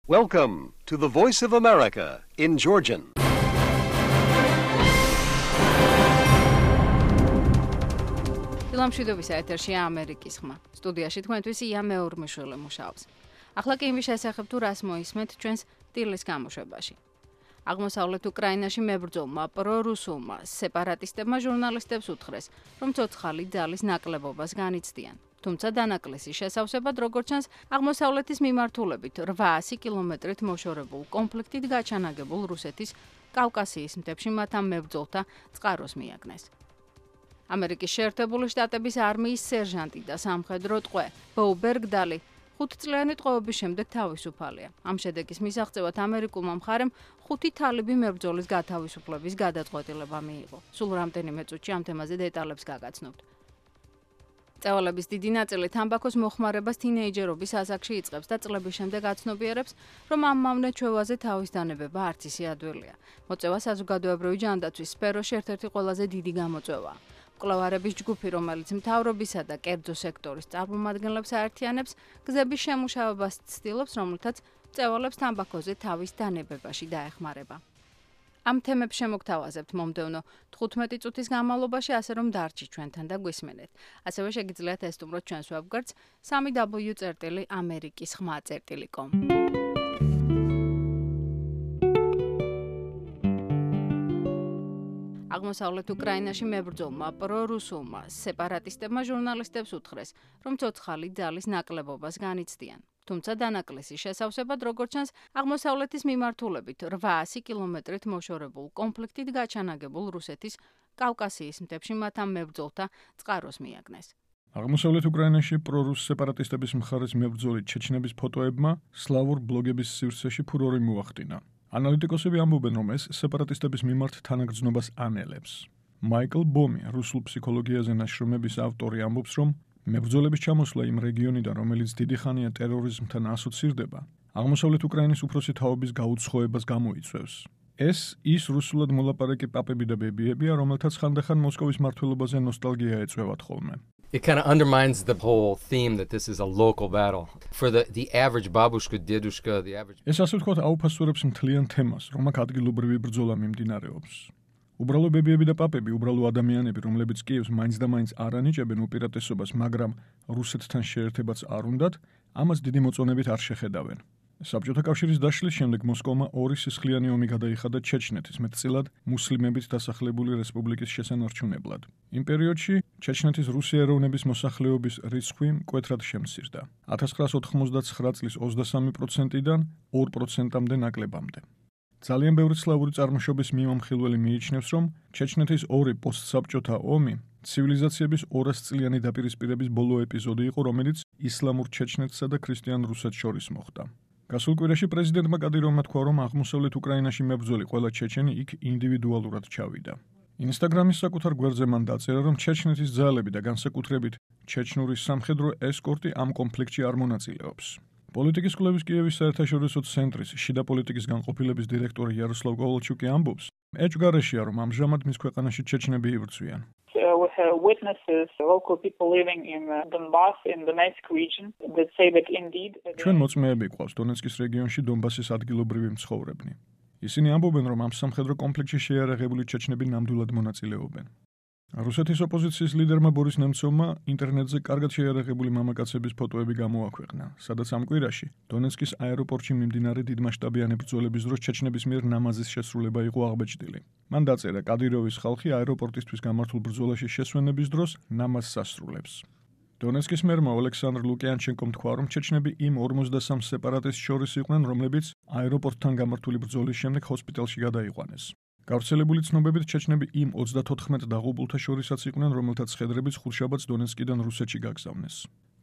Welcome to the Voice of America in Georgian. Ილამშვიდობისა ეთერშია ამერიკის ხმა. სტუდიაში თქვენთვის ია მეურმიშვილი მუშაობს. ახლა კი იმის შესახებ თუ რას მოისმენთ ჩვენს ტილის გამოშვებაში. აღმოსავლეთ უკრაინაში მებრძოლმა პრორუსულმა სეპარატისტებმა ჟურნალისტებს უთხრეს, რომ ცოცხალი ძალის ნაკლებობას განიცდიან. თუმცა დანაკლისის შესავსებად, როგორც ჩანს, აღმოსავლეთის მიმართულებით 800 კილომეტრით მოშორებულ კონფლიქტით გაჩანაგებულ რუსეთის კავკასიის მთებში მათ ამ მებრძოლთა წყაროს მიაგნეს. ამერიკის შეერთებული შტატების არმიის სერჟანტი და სამხედრო ტყვე ბო ბერგდალი 5 წლიანი ტყვეობის შემდეგ თავისუფალია. ამ შედეგის მისაღწევად ამერიკულმა მხარემ 5 თალიბი მებრძოლის გათავისუფლების გადაწყვეტილება მიიღო. სულ რამდენიმე წუთში ამ თემაზე დეტალებს გაგაცნობთ. წევალების დიდი ნაწილი თამბაქოს მოხმარებას თინეიჯერობის ასაკში იწყებს და წლების შემდეგ აცნობიერებს, რომ ამ მავნე ჩვევაზე თავის დანებება არც ისე ადვილია. მოწევა საზოგადოებრივი ჯანდაცვის სფეროში ერთ-ერთი ყველაზე დიდი გამოწვევაა. მკვლევარების ჯგუფი, რომელიც მთავრობისა და კერძო სექტორის წარმომადგენლებს აერთიანებს, გზების შემუშავებას ცდილობს, რომელთაც წევალებს თამბაქოზე თავის დანებებაში დაეხმარება. ამ თემებს შემოგთავაზებთ მომდევნო 15 წუთის განმავლობაში, ასე რომ დარჩით ჩვენთან და გვისმენეთ. ასევე შეგიძლიათ ესტუმროთ ჩვენს ვებგვერდს www.amerikisxma.com. აღმოსავლეთ უკრაინაში მებრძოლმა პრორუსულმა სეპარატისტებმა ჟურნალისტებს უთხრეს, რომ ცოცხალი ძალის ნაკლებობას განიცდიან. თუმცა დანაკლისის შესავსებად, როგორც ჩანს, აღმოსავლეთის მიმართულებით 800 კილომეტრით მოშორებულ კონფლიქტით გაჩანაგებულ რუსეთის კავკასიის მთებში მათ ამ მებრძოლთა წყაროს მიაგნეს. აღმოსავლეთ უკრაინაში პრორუს სეპარატისტების მხარეს მებრძოლი ჩეჩნების ფოტოებმა სლავურ ბლოგების სივრცეში ფურორი მოახდინა. ანალიტიკოსები ამბობენ, რომ ეს სეპარატისტების მიმართ თანაგრძნობას ანელებს. მაიკლ ბომი, რუსულ ფსიქოლოგიაზე ნაშრომების ავტორი, ამბობს, რომ მებრძოლების ჩამოსვლა იმ რეგიონიდან, რომელიც დიდი ხანია ტერორიზმთან ასოცირდება, აღმოსავლეთ უკრაინის უფროსი თაობის გაუცხოებას გამოიწვევს. ეს ის რუსულად მოლაპარაკე პაპები და ბებიებია, რომელთაც ხანდახან მოსკოვის მმართველობაზე ნოსტალგია ეწვევათ ხოლმე. It kind of undermines the whole theme that this is a local battle. For the average babushka, dedushka, the average... ეს ასე ვთქვათ აუფასურებს მთლიან თემას, რომ აქ ადგილობრივი ბრძოლა მიმდინარეობს. უბრალო ბებიები და პაპები, უბრალო ადამიანები, რომლებიც კიევს მაინც და მაინც არ ანიჭებენ უპირატესობას, მაგრამ რუსეთთან შეერთებაც არ უნდათ, ამას დიდი მოწონებით არ შეხედავენ. საბჭოთა კავშირის დაშლის შემდეგ მოსკოვმა 2 სისხლიანი ომი გადაიხადა ჩეჩნეთის, მეტწილად მუსლიმებით დასახლებული რესპუბლიკის შესანარჩუნებლად. იმ პერიოდში ჩეჩნეთის რუსი ეროვნების მოსახლეობის რიცხვი მკვეთრად შემცირდა. 1989 წლის 23%-დან 2%-მდე ნაკლებამდე. ძალიან ბევრი სლავური წარმოშობის მიმამხილველი მიიჩნევს, რომ ჩეჩნეთის 2 პოსტსაბჭოთა ომი ცივილიზაციების 200 წლიანი დაპირისპირების ბოლო ეპიზოდი იყო, რომელიც ისლამურ ჩეჩნეთსა და ქრისტიან რუსეთს შორის მოხდა. გასულ კვირაში პრეზიდენტმა კადიროვმა თქვა, რომ აღმოსავლეთ უკრაინაში მებრძოლი ყველა ჩეჩენი იქ ინდივიდუალურად ჩავიდა. ინსტაგრამის საკუთარ გვერდზე მან დაწერა, რომ ჩეჩნეთის ძალები და განსაკუთრებით ჩეჩნური სამხედრო ესკორტი ამ კონფლიქტში არ მონაწილეობს. პოლიტიკის კვლევის კიევის საერთაშორისო ცენტრის შიდა პოლიტიკის განყოფილების დირექტორი იაროსლავ კოვალჩუკი ამბობს, ეჭვგარეშია, რომ ამჟამად მის ქვეყანაში ჩეჩნები იბრძვიან. We have witnesses, local people living in Donbass, in the Donetsk region, that say that indeed... ჩვენ მოწმეები გვყავს დონეცკის რეგიონში დონბასის ადგილობრივი მცხოვრებნი. ისინი ამბობენ, რომ ამ სამხედრო კონფლიქტში შეიარაღებული ჩეჩნები ნამდვილად მონაწილეობენ. რუსეთის ოპოზიციის ლიდერმა ბორის ნემცოვმა ინტერნეტზე კარგად შეიარაღებული მამაკაცების ფოტოები გამოაქვეყნა, სადაც ამ კვირაში დონეცკის აეროპორტში მიმდინარე დიდმასშტაბიანი ბრძოლების დროს ჩეჩნების მიერ ნამაზის შესრულება იყო აღბეჭდილი. მან დაწერა, კადიროვის ხალხი აეროპორტისთვის გამართულ ბრძოლაში შესვენების დროს ნამაზს ასრულებს. დონეცკის მერმა ოლექსანდრ ლუკიანჩენკომ თქვა, რომ ჩეჩნები იმ 53 სეპარატისტს შორის იყვნენ, რომლებიც აეროპორტთან გამართული ბრძოლის შემდეგ ჰოსპიტალში გადაიყვანეს. გავრცელებული ცნობებით ჩეჩნები იმ 34 დაღუპულთა შორისაც იყვნენ, რომელთაც ხედრებით ხუთშაბათს დონეცკიდან რუსეთში გაგზავნეს.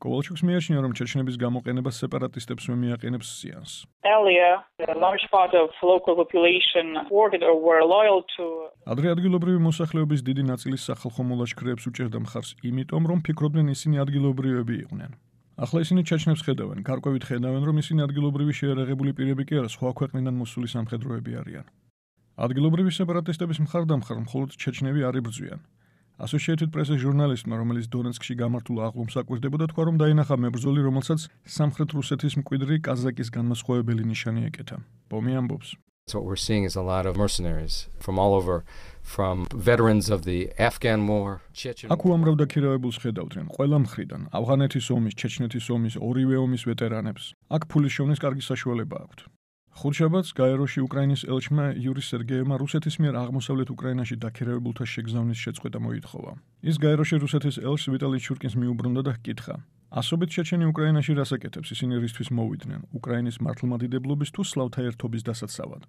კოვალჩუკს მიაჩნია, რომ ჩეჩნების გამოყენება სეპარატისტებს მიაყენებს ზიანს. Earlier, a large part of local population supported or were loyal to... ადრე ადგილობრივი მოსახლეობის დიდი ნაწილი სახალხო მოლაშქრეებს უჭერდა მხარს იმიტომ, რომ ფიქრობდნენ ისინი ადგილობრივები იყვნენ. ახლა ისინი ჩეჩნებს ხედავენ, გარკვევით ხედავენ, რომ ისინი ადგილობრივი შეიარაღებული პირები კი არა, სხვა ქვეყნიდან მოსული სამხედროები არიან. ადგილობრივი სეპარატისტების მხარდამხარ მხოლოდ ჩეჩნები არ იბრძვიან. Associated Press-ის ჟურნალისტმა, რომელიც დონეცკში გამართულ აღლუმს აკვირდებოდა, თქვა, რომ დაინახა მებრძოლი, რომელსაც სამხრეთ რუსეთის მკვიდრი კაზაკის განმასხვავებელი ნიშანი ეკეთა. Pomi ambobs. So what we're seeing is a lot of mercenaries from all over, from veterans of the Afghan war, Chechen. აქ უამრავ დაქირავებულს ხედავდნენ ყველა მხრიდან, ავღანეთის ომის, ჩეჩნეთის ომის, ორივე ომის ვეტერანებს. აქ ფულის შოვნის კარგი საშუალება აქვთ. ხუთშაბათს გაეროში უკრაინის ელჩმა იური სერგეევმა რუსეთის მიერ აღმოსავლეთ უკრაინაში დაქირავებულთა შეგზავნის შეწყვეტა მოითხოვა. ის გაეროში რუსეთის ელჩს ვიტალი ჩურკინს მიუბრუნდა და ჰკითხა: ასობით ჩეჩენი უკრაინაში რას აკეთებს, ისინი რისთვის მოვიდნენ, უკრაინის მართლმადიდებლობის თუ სლავთა ერთობის დასაცავად?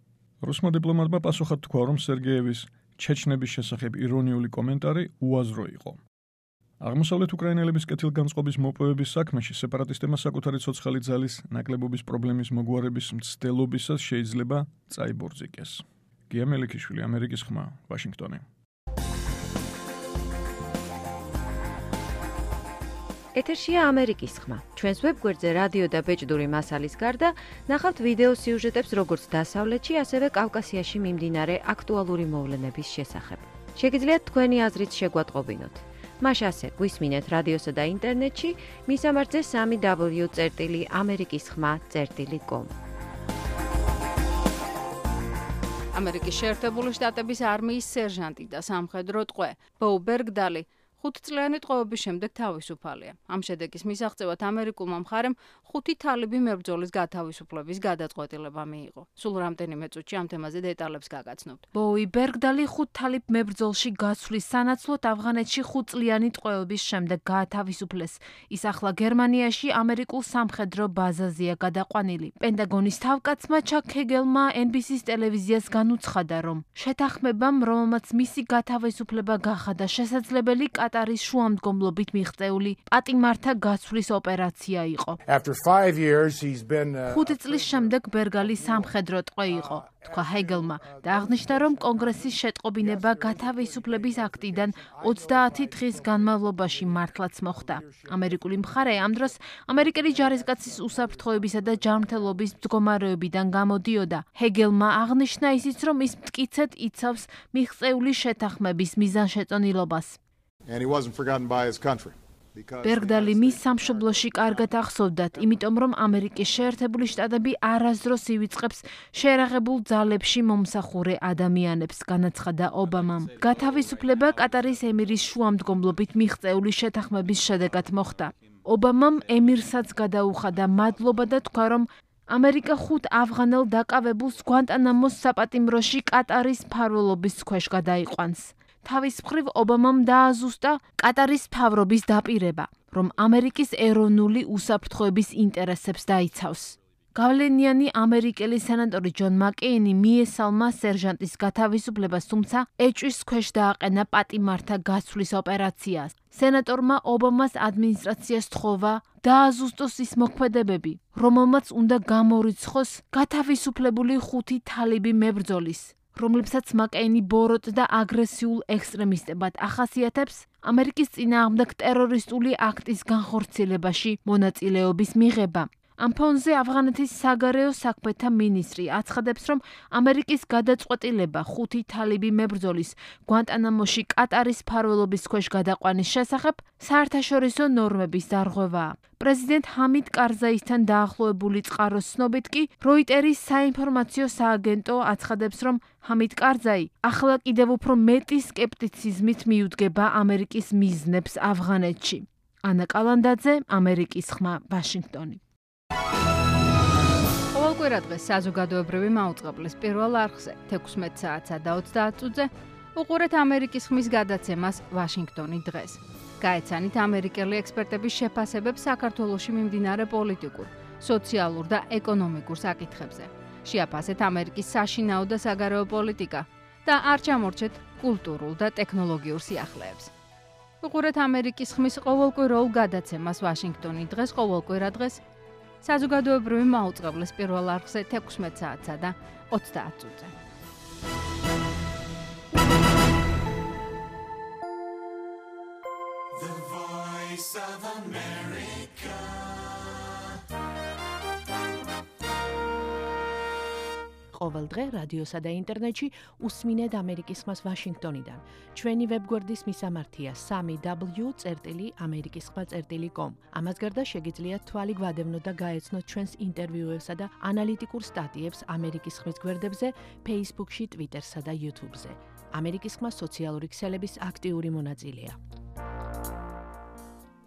რუსმა დიპლომატმა პასუხად თქვა, რომ სერგეევის ჩეჩნების შესახებ ირონიული კომენტარი უაზრო იყო. აღმოსავლეთ უკრაინელების კეთილგანწყობის მოპოვების საქმეში სეპარატისტებმა საკუთარი ცოცხალი ძალის ნაკლებობის პრობლემის მოგვარების მცდელობისას შეიძლება წაიბორძიკეს. გია მელიქიშვილი, ამერიკის ხმა, ვაშინგტონი. ეთერშია ამერიკის ხმა. ჩვენს ვებგვერდზე რადიო და ბეჭდური მასალის გარდა ნახავთ ვიდეო სიუჟეტებს როგორც დასავლეთში, ასევე კავკასიაში მიმდინარე აქტუალური მოვლენების შესახებ. შეგიძლიათ თქვენი აზრით შეგვატყობინოთ. მას ასე გვისმინეთ რადიოსა და ინტერნეტში, მისამართზე www.amerikiskhma.com. ამერიკის შეერთებული შტატების არმიის სერჟანტი და სამხედრო ტყვე ბო ბერგდალი 5 წლიანი ტყვეობის შემდეგ თავისუფალია. ამ შედეგის მისაღწევად ამერიკულმა მხარემ 5 თალიბი მებრძოლის გათავისუფლების გადაწყვეტილება მიიღო. სულ რამდენიმე წუთში ამ თემაზე დეტალებს გაგაცნობთ. ბოუი ბერგდალი 5 თალიბ მებრძოლში გაცვლის სანაცვლოდ ავღანეთში 5 წლიანი ტყვეობის შემდეგ გაათავისუფლეს. ის ახლა გერმანიაში ამერიკულ სამხედრო ბაზაზეა გადაყვანილი. პენტაგონის თავკაცმა ჩაკ ჰეგელმა NBC-ის ტელევიზიას განუცხადა, რომ შეთანხმებამ, რომელმაც მისი გათავისუფლება გახადა შესაძლებელი, კატარის შუამდგომლობით მიღწეული პატიმართა გაცვლის ოპერაცია იყო. 5 წლის შემდეგ ბერგალი სამხედრო ტყვე იყო, თქვა ჰეგელმა და აღნიშნა, რომ კონგრესის შეტყობინება გათავისუფლების აქტიდან 30 დღის განმავლობაში მართლაც მოხდა. ამერიკული მხარე ამ დროს ამერიკელი ჯარისკაცის უსაფრთხოებისა და ჯანმრთელობის მდგომარეობიდან გამოდიოდა. ჰეგელმა აღნიშნა ისიც, რომ ის მტკიცედ იცავს მიღწეული შეთანხმების მიზანშეწონილობას. ბერგდალი მის სამშობლოში კარგად ახსოვდათ, იმიტომ რომ ამერიკის შეერთებული შტატები არასდროს ივიწყებს შეერაღებულ ძალებში მომსახურე ადამიანებს, განაცხადა ობამამ. გათავისუფლება კატარის ემირის შუამდგომლობით მიღწეული შეთანხმების შედეგად მოხდა. ობამამ ემირსაც გადაუხადა მადლობა და თქვა, რომ ამერიკა 5 ავღანელ დაკავებულს გვანტანამოს საპატიმროში კატარის მფარველობის ქვეშ გადაიყვანს. თავის მხრივ ობამამ დააზუსტა კატარის მთავრობის დაპირება, რომ ამერიკის ეროვნული უსაფრთხოების ინტერესებს დაიცავს. გავლენიანი ამერიკელი სენატორი ჯონ მაკეინი მიესალმა სერჟანტის გათავისუფლებას, თუმცა ეჭვის ქვეშ დააყენა პატიმართა გაცვლის ოპერაციას. სენატორმა ობამას ადმინისტრაციას თხოვა დააზუსტოს ის მოქმედებები, რომელმაც უნდა გამორიცხოს გათავისუფლებული 5 თალიბი მებრძოლის, რომლებსაც მაკეინი ბოროტ და აგრესიულ ექსტრემისტებად ახასიათებს ამერიკის წინააღმდეგ ტერორისტული აქტის განხორციელებაში მონაწილეობის მიღება. ამ ფონზე ავღანეთის საგარეო საქმეთა მინისტრი აცხადებს, რომ ამერიკის გადაწყვეტილება 5 თალიბი მებრძოლის გვანტანამოში კატარის მფარველობის ქვეშ გადაყვანის შესახებ საერთაშორისო ნორმების დარღვევაა. პრეზიდენტ ჰამიდ კარზაისთან დაახლოებული წყაროს ცნობით კი როიტერის საინფორმაციო სააგენტო აცხადებს, რომ ჰამიდ კარზაი ახლა კიდევ უფრო მეტი სკეპტიციზმით მიუდგება ამერიკის მიზნებს ავღანეთში. ანა კალანდაძე, ამერიკის ხმა, ვაშინგტონი. ყოველკვირა დღეს საზოგადოებრივი მაუწყებლის პირველ არხზე 16 საათსა და 30 წუთზე უყურეთ ამერიკის ხმის გადაცემას ვაშინგტონი დღეს. გაეცანით ამერიკელი ექსპერტების შეფასებებს საქართველოში მიმდინარე პოლიტიკურ, სოციალურ და ეკონომიკურ საკითხებზე. შეაფასეთ ამერიკის საშინაო და საგარეო პოლიტიკა და არ ჩამორჩეთ კულტურულ და ტექნოლოგიურ სიახლეებს. უყურეთ ამერიკის ხმის ყოველკვირეულ გადაცემას ვაშინგტონი დღეს ყოველკვირა დღეს საზოგადოებრივი მაუწყებლის პირველ არხზე 16 საათსა და 30 წუთზე. The Voice of America. ყოველდღე რადიოსა და ინტერნეტში უსმინეთ ამერიკის ხმას ვაშინგტონიდან. ჩვენი ვებგვერდის მისამართია www.amerikiskhma.com. ამას გარდა შეგიძლიათ თვალი გვადევნოთ და გაეცნოთ ჩვენს ინტერვიუებსა და ანალიტიკურ სტატიებს ამერიკის ხმის გვერდებზე, Facebook-ში, Twitter-სა და YouTube-ზე. ამერიკის ხმა სოციალური ქსელების აქტიური მონაწილეა.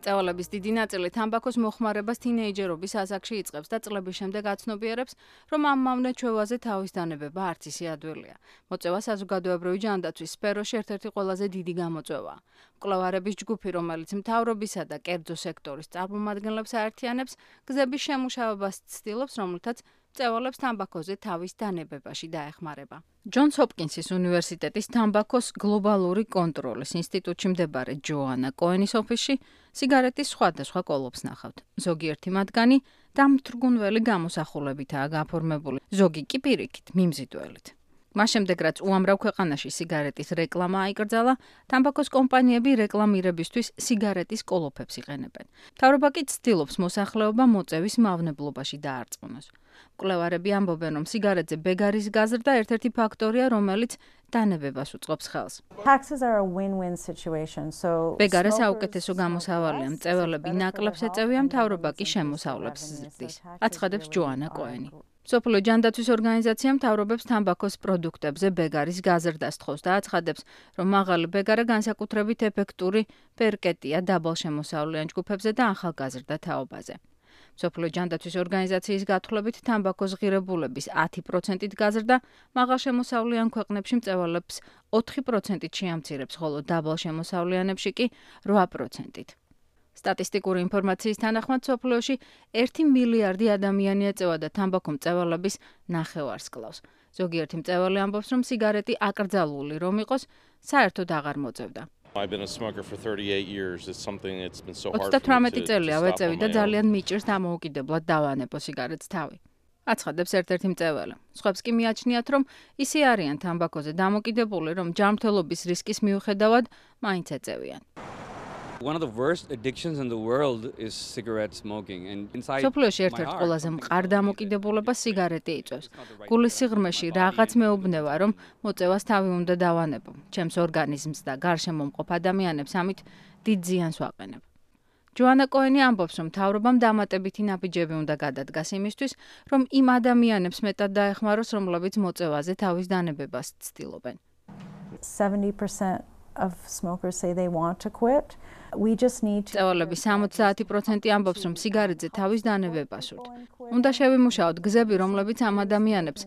წევალების დიდი ნაწილი თამბაქოს მოხმარებას თინეიჯერობის ასაკში იწყებს და წლების შემდეგ აცნობიერებს, რომ ამ მავნე ჩვევაზე თავის დანებება არც ისე ადვილია. მოწევა საზოგადოებრივი ჯანდაცვის სფეროში ერთ-ერთი ყველაზე დიდი გამოწვევაა. მკვლევარების ჯგუფი, რომელიც მთავრობისა და კერძო სექტორის წარმომადგენლებს აერთიანებს, გზების შემუშავებას ცდილობს, რომლითაც წევალებს თამბაქოზე თავის დანებებაში დაეხმარება. ჯონს ჰოპკინსის უნივერსიტეტის თამბაქოს გლობალური კონტროლის ინსტიტუტში მდებარე ჯოანა კოენის ოფისში სიგარეტის სხვადასხვა კოლოფს ნახავთ. ზოგიერთი მათგანი დამთრგუნველი გამოსახულებითაა გაფორმებული, ზოგი კი პირიქით, მიმზიდველით. მას შემდეგ, რაც უამრავ ქვეყანაში სიგარეტის რეკლამა აიკრძალა, თამბაქოს კომპანიები რეკლამირებისთვის სიგარეტის კოლოფებს იყენებენ. მთავრობა კი ცდილობს მოსახლეობა მოწევის მავნებლობაში დაარწმუნოს. მკვლევარები ამბობენ, რომ სიგარეტზე ბეგარის გაზრდა ერთ-ერთი ფაქტორია, რომელიც დანებებას უწყობს ხელს. ბეგარე საუკეთესო გამოსავალია, მწეველები ნაკლებს ეწევიან, მთავრობა კი შემოსავლებს ზრდის, აცხადებს ჯოანა კოენი. მსოფლიო ჯანდაცვის ორგანიზაცია მთავრობებს თამბაქოს პროდუქტებზე ბეგარის გაზრდას თხოვს და აცხადებს, რომ მაღალი ბეგარა განსაკუთრებით ეფექტური პერკეტია დაბალშემოსავლიან ჯგუფებზე და ახალგაზრდა თაობაზე. მსოფლიო ჯანდაცვის ორგანიზაციის გათვლებით თამბაქოს ღირებულების 10%-ით გაზრდა მაღალშემოსავლიან ქვეყნებში მწევალებს 4%-ით შეამცირებს, ხოლო დაბალშემოსავლიანებში კი 8%-ით. სტატისტიკური ინფორმაციის თანახმად მსოფლიოში 1 მილიარდი ადამიანი ეწევა და თამბაქო მწევალების ნახევარს კლავს. ზოგიერთი მწევალი ამბობს, რომ სიგარეტი აკრძალული რომ იყოს, საერთოდ აღარ მოწევდა. 38 წელია ვეწევი და ძალიან მიჭირს დამოუკიდებლად დავანებო სიგარეტს თავი. აცხადებს ერთ-ერთი მწევალი. სხვებს კი მიაჩნიათ, რომ ისე არიან თამბაქოზე დამოკიდებული, რომ ჯანმრთელობის რისკის მიუხედავად მაინც ეწევიან. One of the worst addictions in the world is cigarette smoking and inside სოფლიოში ერთ-ერთი ყველაზე მყარ დამოკიდებულებას სიგარეტი იწვევს. გულის სიღრმეში რაღაც მეუბნება, რომ მოწევას თავი უნდა დავანებო. ჩემს ორგანიზმს და გარშემო მყოფ ადამიანებს ამით დიდ ზიანს ვაყენებ. ჯოანა კოენი ამბობს, რომ მთავრობამ დამატებითი ნაბიჯები უნდა გადადგას იმისთვის, რომ იმ ადამიანებს მეტად დაეხმაროს, რომლებიც მოწევაზე თავის დანებებას ცდილობენ. 70% of smokers say they want to quit. We just need to წევალების 70% ამბობს, რომ სიგარეტზე თავის დანებება სურთ. უნდა შევიმუშაოთ გზები, რომლებიც ამ ადამიანებს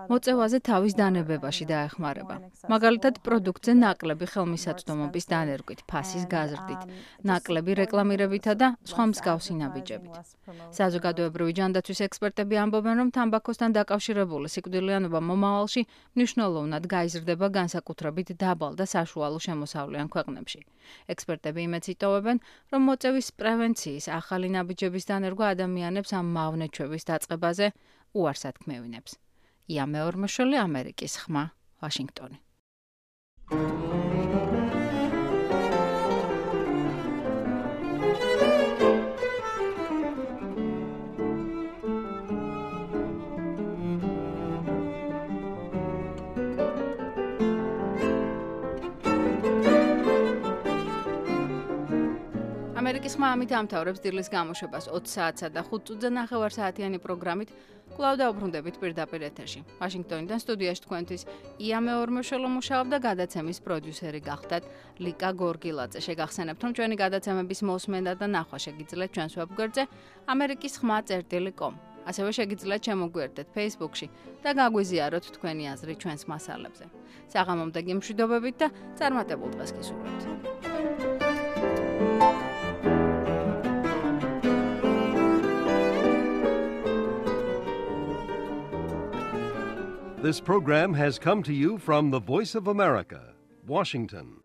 მოწევაზე თავის დანებებაში დაეხმარება. მაგალითად, პროდუქტზე ნაკლები ხელმისაწვდომობის დანერგვით, ფასის გაზრდით, ნაკლები რეკლამირებითა და სხვა მსგავსი ნაბიჯებით. საზოგადოებრივი ჯანდაცვის ექსპერტები ამბობენ, რომ თამბაქოსთან დაკავშირებული სიკვდილიანობა მომავალში მნიშვნელოვნად გაიზრდება განსაკუთრებით დაბალ და საშუალო შემოსავლიან ქვეყნებში. ექსპერტები იმედს იტოვებენ, რომ მოწევის პრევენციის ახალი ნაბიჯების დანერგვა ადამიანებს ამ მავნე ჩვევის დაწყებაზე უარს ათქმევინებს. ია მეორმოშვილი, ამერიკის ხმა, ვაშინგტონი. ამერიკის ხმა ამით ამთავრებს დილის გამოშვებას 20 საათსა და 5 წუთზე 9 საათიანი პროგრამით. კვლავ დაუბრუნდებით პირდაპირ ეთერში. ვაშინგტონიდან სტუდიაში თქვენთვის ია მეორმოშვილი მუშაობდა, გადაცემის პროდიუსერი გახდათ ლიკა გორგილაძე. შეგახსენებთ, რომ ჩვენი გადაცემების მოსმენა და ნახვა შეგიძლიათ ჩვენს ვებგვერდზე amerikiskhma.com. ასევე შეგიძლიათ შემოგვიერთდეთ Facebook-ში და გაგვიზიაროთ თქვენი აზრი ჩვენს მასალებზე. საღამომდე მშვიდობებით და წარმატებულ დღეს გისურვებთ. This program has come to you from the Voice of America, Washington.